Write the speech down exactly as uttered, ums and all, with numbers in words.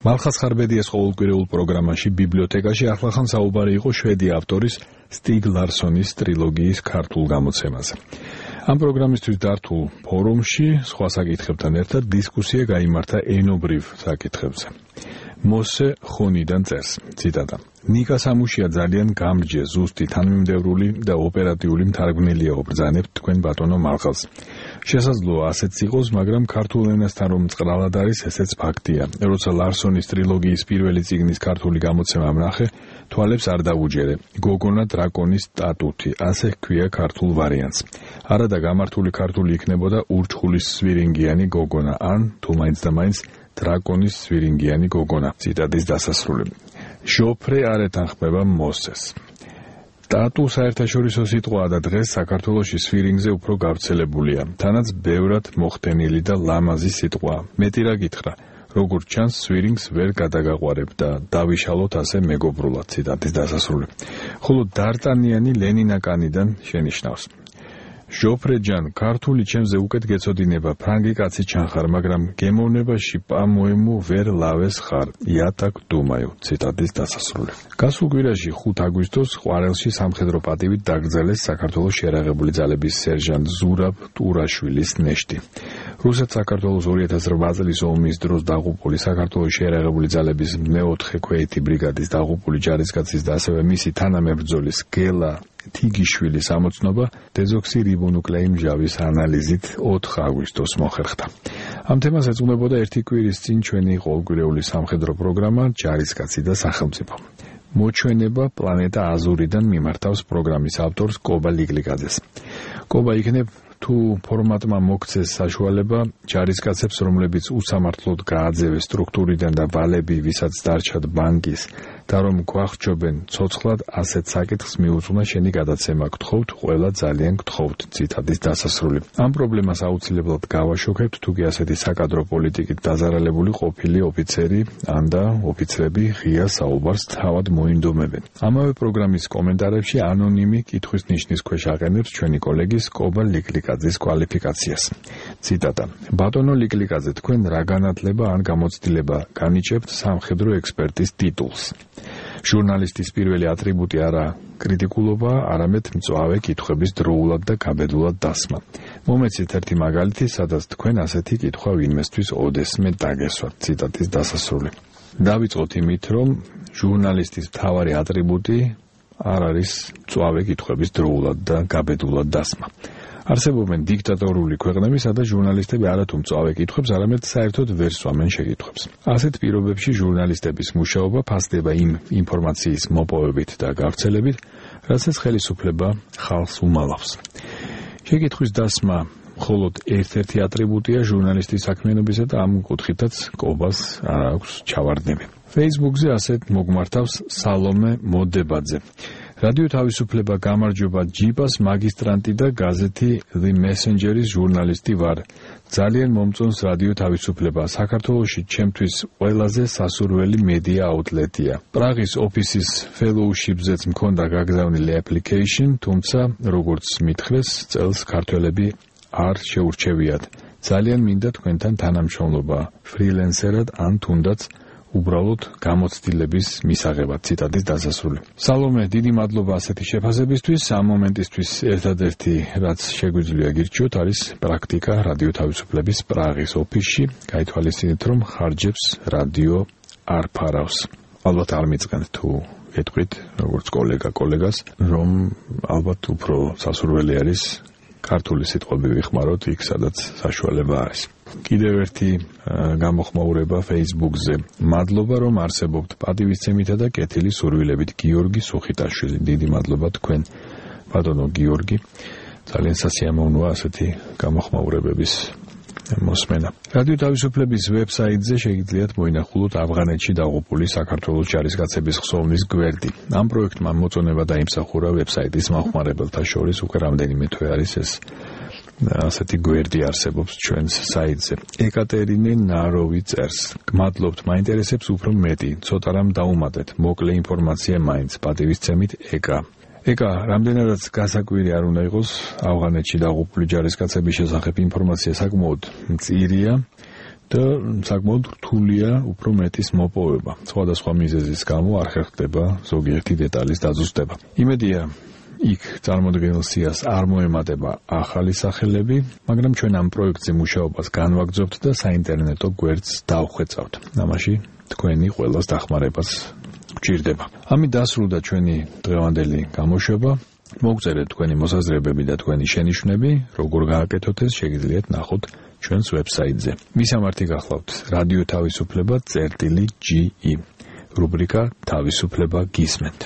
მალხას ხარბედიას ყოველკვირეულ პროგრამაში ბიბლიოთეკაში ახლახან საუბარი იყო შვედი ავტორის სტიგ ლარსონის ტრილოგიის ქართულ გამოცემაზე. ამ პროგრამისთვის დართულ ფორუმში სხვა საკითხებთან ერთად დისკუსია გაიმართა ენობრივ საკითხებზე. მოსე ხონიდან წერს, ციტატა: ნიკა სამუშია ძალიან გამრჯე, ზუსტი, თანმიმდევრული და ოპერატიული მთარგმნელია ვბრძანებთ თქვენ ბატონო მალხას. შესაძლოა ასეც იყოს, მაგრამ ქართულ ენასთან რომ მწყრალად არის, ესეც ფაქტია. როცა ლარსონის ტრილოგიის პირველი წიგნის ქართული გამოცემა ვნახე, თვალებს არ დავუჯერე. გოგონა დრაკონის სტატუთი, ასე ჰქვია ქართულ ვარიანტს. არადა გამართული ქართული იქნებოდა ურჩხულის სვირინგიანი გოგონა, ან თუ მაინც და მაინც დრაკონის სვირინგიანი გოგონა. ციტატის დასასრული. ჟოფრე არ ეთანხმება მოსეს. სტატუ საერთაშორისო სიტყვაა და დღეს საქართველოში სვირინგზე უფრო გავრცელებულია. თანაც ბევრად მოხდენილი და ლამაზი სიტყვაა. მეტი რა გითხრა, როგორც ჩანს სვირინგს ვერ გადაგაყვარებ და დავიშალოთ ასე მეგობრულად. ციტატის დასასრული. ხოლო დარტანიანი ლენინაკანიდან შენიშნავს. ჟოფრე ჯან, ქართული ჩემზე უკეთ გეცოდინება, ფრანგი კაცი ჩანხარ, მაგრამ გემოვნებაში პამოემუ ვერ ლავეს ხარ, იატაკ დუმაიო. ციტატის დასასრული. გასულ კვირაში ხუთ აგვისტოს ყვარელში სამხედრო პატივით დაკრძალეს საქართველოს შეიარაღებული ძალების სერჟანტ ზურაბ ტურაშვილის ნეშტი. რუსეთ-საქართველოს ორი ათას რვა წლის ომის დროს დაღუპული საქართველოს შეიარაღებული ძალების მეოთხე ქვეითი ბრიგადის დაღუპული ჯარისკაცის და ასევე მისი თანამებრძოლის გელა თიგიშვილის ამოცნობა დეზოქსირიბონუკლეინმჟავის ანალიზით ოთხ აგვისტოს მოხერხდა. ამ თემას ეძღვნებოდა ერთი კვირის წინ ჩვენი ყოველკვირეული სამხედრო პროგრამა ჯარისკაცი და სახელმწიფო. მოჩვენება პლანეტა აზურიდან მიმართავს პროგრამის ავტორს კობა ლიგლიგაძეს. კობა იქნებ თუ ფორმატმა მოქცეს საშუალება ჯარისკაცებს, რომლებიც უსამართლოდ გააძევეს სტრუქტურიდან და ვალები, ვისაც დარჩათ ბანკის და რომ გვახჩობენ ცოცხლად, ასეთ საკითხს მიუძღვნა შენი გადაცემა, გთხოვთ, ყველა ძალიან გთხოვთ. ციტატის დასასრული. ამ პრობლემას აუცილებლად გავაშუქებთ, თუგი ასეთი საკადრო პოლიტიკით დაზარალებული ყოფილი ოფიცერი ან და ოფიცრები ღია საუბარს თავად მოინდომებენ. ამავე პროგრამის კომენტარებში ანონიმი კითხვის ნიშნის ქვეშ აყენებს ჩვენი კოლეგის კობა ლიგლიგაძის კვალიფიკაციას. ციტატა: ბატონო ლიგლიგაძე, თქვენ რა განათლება ან გამოცდილება განიჭებთ სამხედრო ექსპერტის ტიტულს? ჟურნალისტის პირველი ატრიბუტი არა კრიტიკულობა, არამედ მწვავე კითხვების დროულად და გაბედულად დასმა. მომეცით ერთი მაგალითი, სადაც თქვენ ასეთი კითხვა ვინმესთვის ოდესმე დაგესვათ. ციტატის დასასრული. დავიწყოთ იმით, რომ ჟურნალისტის მთავარი ატრიბუტი არ არის მწვავე კითხვების დროულად და გაბედულად დასმა. არსებობენ დიქტატორული ქვეყნები, სადაც ჟურნალისტები არათუ მწვავე კითხვებს, არამედ საერთოდ ვერ სვამენ შეკითხვებს. ასეთ პირობებში ჟურნალისტების მუშაობა ფასდება იმ ინფორმაციის მოპოვებით და გავრცელებით, რასაც ხელისუფლება ხალხს უმალავს. შეკითხვის დასმა მხოლოდ ერთ-ერთი ატრიბუტია ჟურნალისტის საქმიანობისა და ამ კუთხითაც კობას არ აქვს ჩავარდნები. Facebook-ზე ასეთ მოგმართავს სალომე მოდებაძე. რადიო თავისუფლება გამარჯობა ჯიბას მაგისტრანტი და გაზეთი The Messenger-ის ჟურნალისტი ვარ. ძალიან მომწონს რადიო თავისუფლება. საქართველოში ჩემთვის ყველაზე სასურველი მედია აუტლეტია. პრაღის ოფისის fellowship-ზეც მქონდა გაგზავნილი application, თუმცა როგორც მითხრეს, წელს ქართველები არ შეურჩევიათ. ძალიან მინდა თქვენთან თანამშრომლობა ფრილენსერად ან თუნდაც უბრალოდ გამოცდილების მისაღებად. ციტატის დასასრული. სალომე, დიდი მადლობა ასეთი შეფასებისთვის. ამ მომენტისთვის ერთადერთი, რაც შეგვიძლია გირჩიოთ, არის პრაქტიკა რადიო თავისუფლების პრაღის ოფისში. გაითვალისწინეთ, რომ ხარჯებს რადიო არ ფარავს. ალბათ არ მიწყენთ თუ ეთქვით, როგორც კოლეგა კოლეგას, რომ ალბათ უფრო სასურველი არის ქართული სიტყვები ვიხმაროთ იქ, სადაც საშუალება არის. კიდევ ერთი გამოხმაურება Facebook-ზე. მადლობა, რომ არსებობთ პატივისცემითა და კეთილი სურვილებით. გიორგი სუხიტაშვილი. დიდი მადლობა თქვენ, ბატონო გიორგი. ძალიან სასიამოვნოა ასეთი გამოხმაურებების მოსმენა. რადიო თავისუფლების ვებსაიტზე შეგიძლიათ მოინახულოთ ავღანეთში დაღუპული საქართველოს ჯარისკაცების ხსოვნის გვერდი. ამ პროექტმა მოწონება დაიმსახურა ვებსაიტის მომხმარებელთა შორის, უკვე რამდენიმე თვე არის ეს ასეთი გვერდი არსებობს ჩვენს საიტზე. ეკატერინე ნაროვი წერს. გმადლობთ, მაინტერესებს უფრო მეტი, ცოტა რამ დაუმატეთ, მოკლე ინფორმაცია მაინც, პატივისცემით ეკა. ეკა, რამდენადაც გასაკვირი არ უნდა იყოს, ავღანეთში დაღუპული ჯარისკაცების შესახებ ინფორმაცია საკმაოდ მწირია და საკმაოდ რთულია უფრო მეტის მოპოვება. სხვადასხვა მიზეზის გამო არ ხერხდება ზოგიერთი დეტალის დაზუსტება. იმედია იქ წარმოდგენილ სიას არ მოემატება ახალი სახელები, მაგრამ ჩვენ ამ პროექტზე მუშაობას განვაგრძობთ და საინტერნეტო გვერდს დავხვეწავთ. ამაში თქვენი ყველას დახმარებას გვჭირდება. ამით დასრულდა ჩვენი დღევანდელი გამოშვება. მოგწერეთ თქვენი მოსაზრებები და თქვენი შენიშვნები, როგორ გააკეთოთ ეს, შეგიძლიათ ნახოთ ჩვენს ვებსაიტზე. მისამართი გახლავთ რადიო თავისუფლება წერტილი ჯი ი. რუბრიკა თავისუფლება გისმენთ.